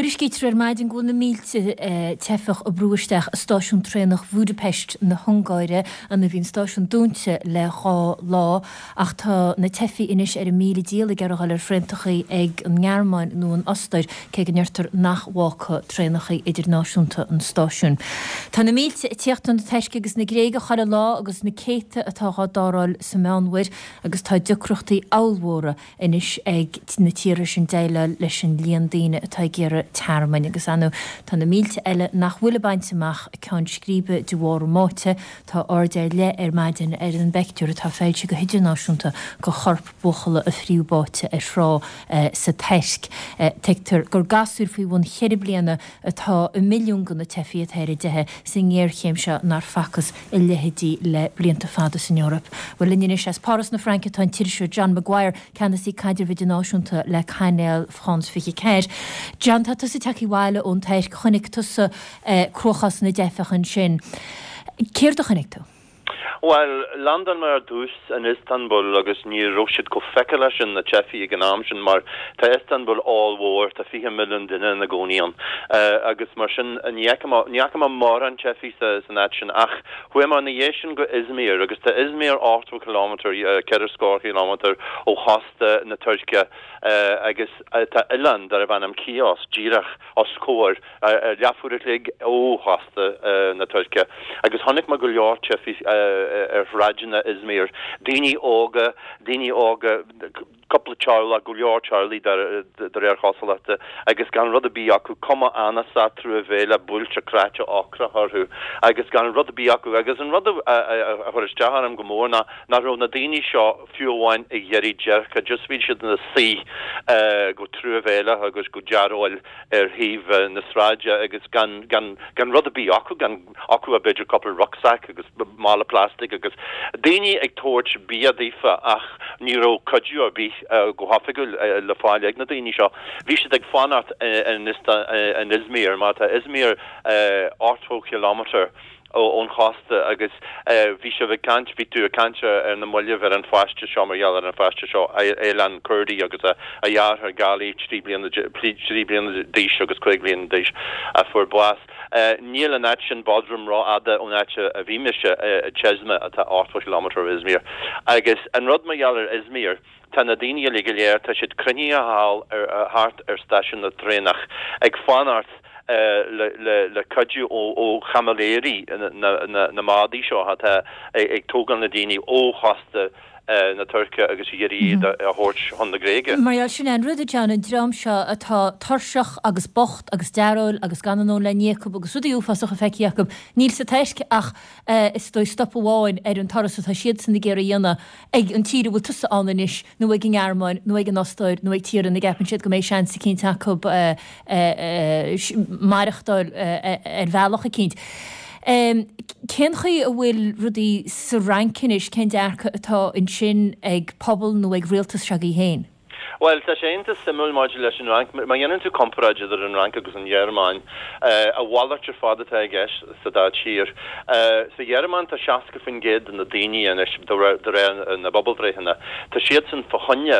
Tuairiscítear ar maidin go bhfuil na mílte teifeach ag brú isteach i stáisiún traenach Bhúdaipeist na hUngáire. Ann a bhí an stáisiún dúnta le 2 lá ach tá na teifigh anois ar a míle dícheall ag iarraidh a dhul ar thraentachaí ag an nGearmáin nó an Ostair, cé go ndeirtear nach bhfágfaidh traenachaí idirnáisiúnta an stáisiún. Tá na mílte ag tíocht chun na Tuirce agus na Gréige chuile lá agus na céadta atá dhá dtarrtháil sa Meánmhuir agus tá deacrachtaí ollmhóra anois ag na tíortha sin déileáil leis an líon daoine atá ag iarraidh tearmainn agus ar ndóigh tá na mílte eile nach bhfuil ag baint amach ceann scríbe de bharr a mbáite. Tá aird ar leith ar maidin ar an bpeictiúr atá foilsithe go hidirnáisiúnta de chorp buachalla a fríodh báite ar thrá sa Tuirc. Tuigtear gur gasúir faoi bhun cheithre bliana atá i milliún de na teifigh atá ar a dteitheadh sa ngéarchéim seo nár facthas a leithéidí le blianta fada san Eoraip. Bhuel, linn anois as Páras na Fraince tá an t-iriseoir John Maguire, Ceannasaí Caidrimh Idirnáisiúnta le cainéal France 24. John, tá tusa tagtha abhaile ón Tuirc, chonaic tusa cruachás na dteifeach ansin. Céard a chonaic tú? Bhuel, landáil mé ar dtús in Istanbul agus ní raibh siad chomh feiceálach sin, na teifigh, ag an am sin mar tá Istanbul ollmhór, tá 20 milliún duine ina gcónaí ann agus mar sin ní fhaca mé, ní fhaca mé mórán teifigh san áit sin ach chuaigh mé ina dhiaidh sin go Izmir agus tá Izmir 80 kilometre, ceithre scór kilometre ó chósta na Tuirce agus tá oileán darbh ainm Chios díreach os comhair leathuair a chloig ó chósta na Tuirce agus chonaic mé go leor teifigh ar shráideanna Izmir, daoine óga, daoine óga, cúpla teaghlach, go leor teaghlaigh de réir chosúlachta, agus gan rud ar bith acu, cuma anasach, truamhéileach, buailte, cráite, ocrach orthu agus gan rud ar bith acu. Agus an rud a chuir isteach orm go mór ná nach raibh na daoine seo fiú amháin ag iarraidh déirce, just bhí siad ina suí go truamhéileach agus go dearóil ar thaobh na sráide agus gan, gan, gan rud ar bith acu, gan acu ach b'fhéidir cúpla rucksack agus mála plastic agus daoine ag tabhairt bia daofa ach ní raibh cuidiú ar bith go hoifigiúil le fáil ag na daoine seo. Bhí siad ag fanacht in in Izmir mar tá Izmir 80 kilometre ón chósta agus bhí sibh ag caint, bhí tú ag caint ar na mallaibh ar an pháiste seo mar gheall ar an pháiste seo, Aylan Kurdi agus a dheartháir Ghali, 3 bliana 3 bliana d'aois agus 5 bliana d'aois a fuair bás. Níl an áit sin, Bodrum, rófhada ón áit a bhí mise, Çeşme, atá 80 kilometre ó Izmir. Agus an rud mar gheall ar Izmir, tá na daoine uilig go léir, tá siad cruinnithe thall thart ar stáisiún na traenach ag fanacht le cuidiú ó chaimiléirí na mbádaí seo atá ag tógáil na daoine ó chósta na Tuirce agus ag iarraidh iad a thabhairt chun na Gréige. Mar gheall, sin é an rud, a John, an dream seo atá tuirseach agus bocht agus dearóil agus gan a ndóthain le n-ithe acu agus rudaí uafásacha feicthe acu, níl sa Tuirc ach is dóigh stop amháin ar an turas atá siadsan ag iarraidh a dhéanamh ag an tír a bhfuil tusa ann anois nó ag an nGearmáin nó ag an Ostáir nó ag tír ina gceapann siad go mbeidh seans eicínt acu maireachtáil ar bhealach eicínt. Cén chaoi a bhfuil rudaí sa Fhrainc anois, cén dearcadh atá ansin ag pobal nó ag rialtas s'agaibh féin? Bhuel, tá sé iontach suimiúil maidir leis an Fhrainc. Má dhéanann tú comparáid idir an Fhrainc agus an Ghearmáin, a mhalairt ar fad atá i gceist sa dá tír. Sa Ghearmáin tá 60% de na daoine anois, de réir na bpobalbhreitheanna, tá siadsan fá choinne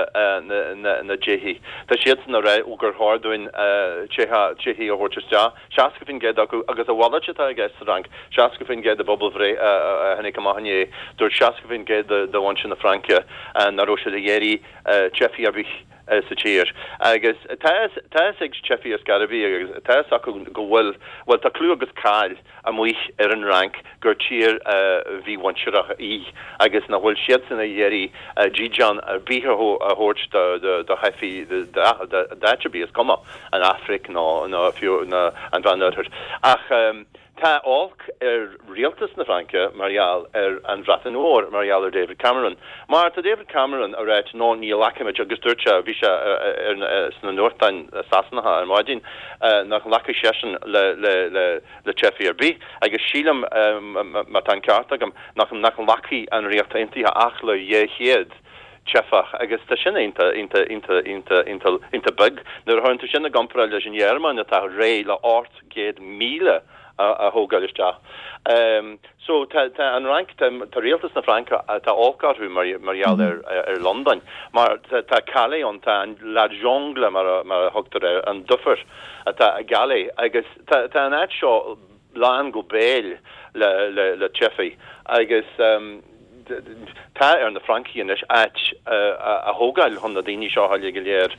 na dteifigh. Tá siadsan ag rá gur chóir dúinn teifigh a thabhairt isteach. 60% acu, agus a mhalairt atá i gceist sa Fhrainc, 60% de phobalbhreith a tháinig amach inné, dúirt 60% de mhuintir na Fraince nach raibh siad ag iarraidh teifigh ar bith sa tír. Agus tá a fhios ag teifigh ar scor ar bith agus tá a fhios acu go bhfuil, bhuel tá clú agus cáil amuigh ar an Fhrainc gur tír mhímhuintearach í agus nach bhfuil siadsan ag iarraidh dídean ar bith a thabhairt do theifigh d'áit ar bith, is cuma an Afraic nó fiú an Mheánoirthear. Ach tá olc ar rialtas na Fraince mar gheall ar an Bhreatain Mhór, mar gheall ar David Cameron. Mar tá David Cameron ag ráit no ní ghlacfaimid agus dúirt sé, bhí sé sna nuachtáin Sasanacha ar maidin, nach nglacfaidh seisean le le teifigh ar bith, agus sílim, má tá an ceart agam, nach nglacfaidh an Ríocht Aontaithe ach le 200 teifeach, agus tá sin iontach, iontach, iontach, iontach, iontach, iontach beag nuair a chuireann tú sin i gcomparáid leis an Ghearmáin atá réidh le 800,000. a thógáil isteach. So tá tá an Fhrainc, tá tá rialtas na Fraince, tá olc orthu mar mar gheall ar ar Londain mar tá tá Calais ann, tá an la jungle mar a mar a thugtar air, an dufair atá i gCalais agus tá tá an áit seo lán go béal le le le teifigh agus tá ar na Francaigh anois áit a thógáil chun na daoine seo uilig go léir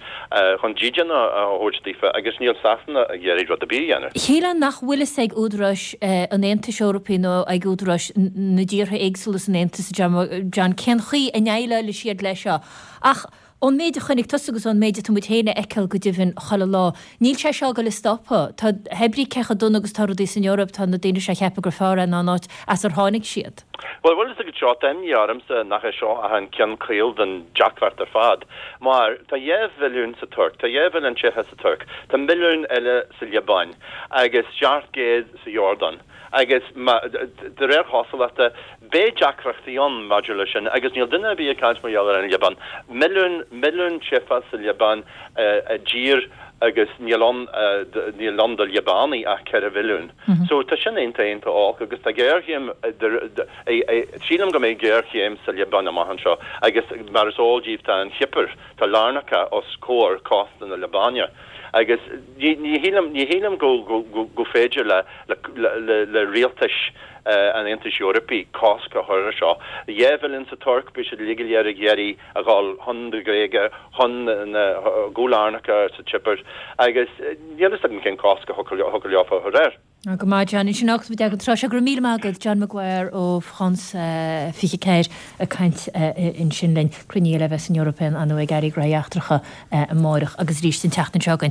chun dídean a thabhairt daofa agus níl Sasana ag iarraidh rud ar bith a dhéanamh. Shílfeá nach bhfuil fhios ag údaráis an Aontais Eorpaigh nó ag údaráis na dtíortha éagsúla san Aontas, John, cén chaoi a ndéileálfaidh siad leis seo. Ach Ón méid a chonaic tusa agus ón méid atá muid féin a fheiceáil go deimhin chuile lá, níl sé seo ag dul a stopadh. Tá, hé brí cé chomh dona agus tá rudaí san Eoraip, tá na daoine seo ag ceapadh gur fearr é ná an áit as ar tháinig siad. Bhuel, bhfuil fhios agat seo, tá imní ormsa nach é seo ach an ceann caol den deacracht ar fad. Mar tá 2 mhilliún sa Tuirc, tá 2 mhilliún teifeach sa Tuirc, tá milliún eile sa Liobáin agus 700 sa Iordáin. Agus, de réir chosúlachta, beidh deacrachtaí ann maidir leis sin agus níl duine ar bith ag caint mar gheall ar an Liobáin. Milliún, milliún teifeach sa Liobáin i dtír agus níl ann, níl ann do Liobánaigh ach 4 mhilliún. So tá sin iontach, iontach olc agus tá géarchéim, sílim go mbeidh géarchéim sa Liobáin amach anseo agus mar is eol daoibh tá an Chipir, tá Larnaca os comhair cósta na Liobáine. Agus ní shílim, ní shílim go, go, go féidir le, le, le rialtais an Aontais Eorpaigh cosc a chur ar seo. 2 mhilliún sa Tuirc, beidh siad uilig go léir ag iarraidh a dhul chun na Gréige, chun na, go Larnaca sa Chipir agus níl fhios agam cén cosc a thiocfadh leofa a chur air. Go maith, John. Ansin fágfaidh muid agat an tráth seo. Go raibh míle maith agat, John Maguire ó France 24 ag caint ansin linn. Cruinniú eile a bheas san Eoraip ar ndóigh ag Airí Gnóthaí Eachtracha amáireach agus arís an tseachtain seo chugainn.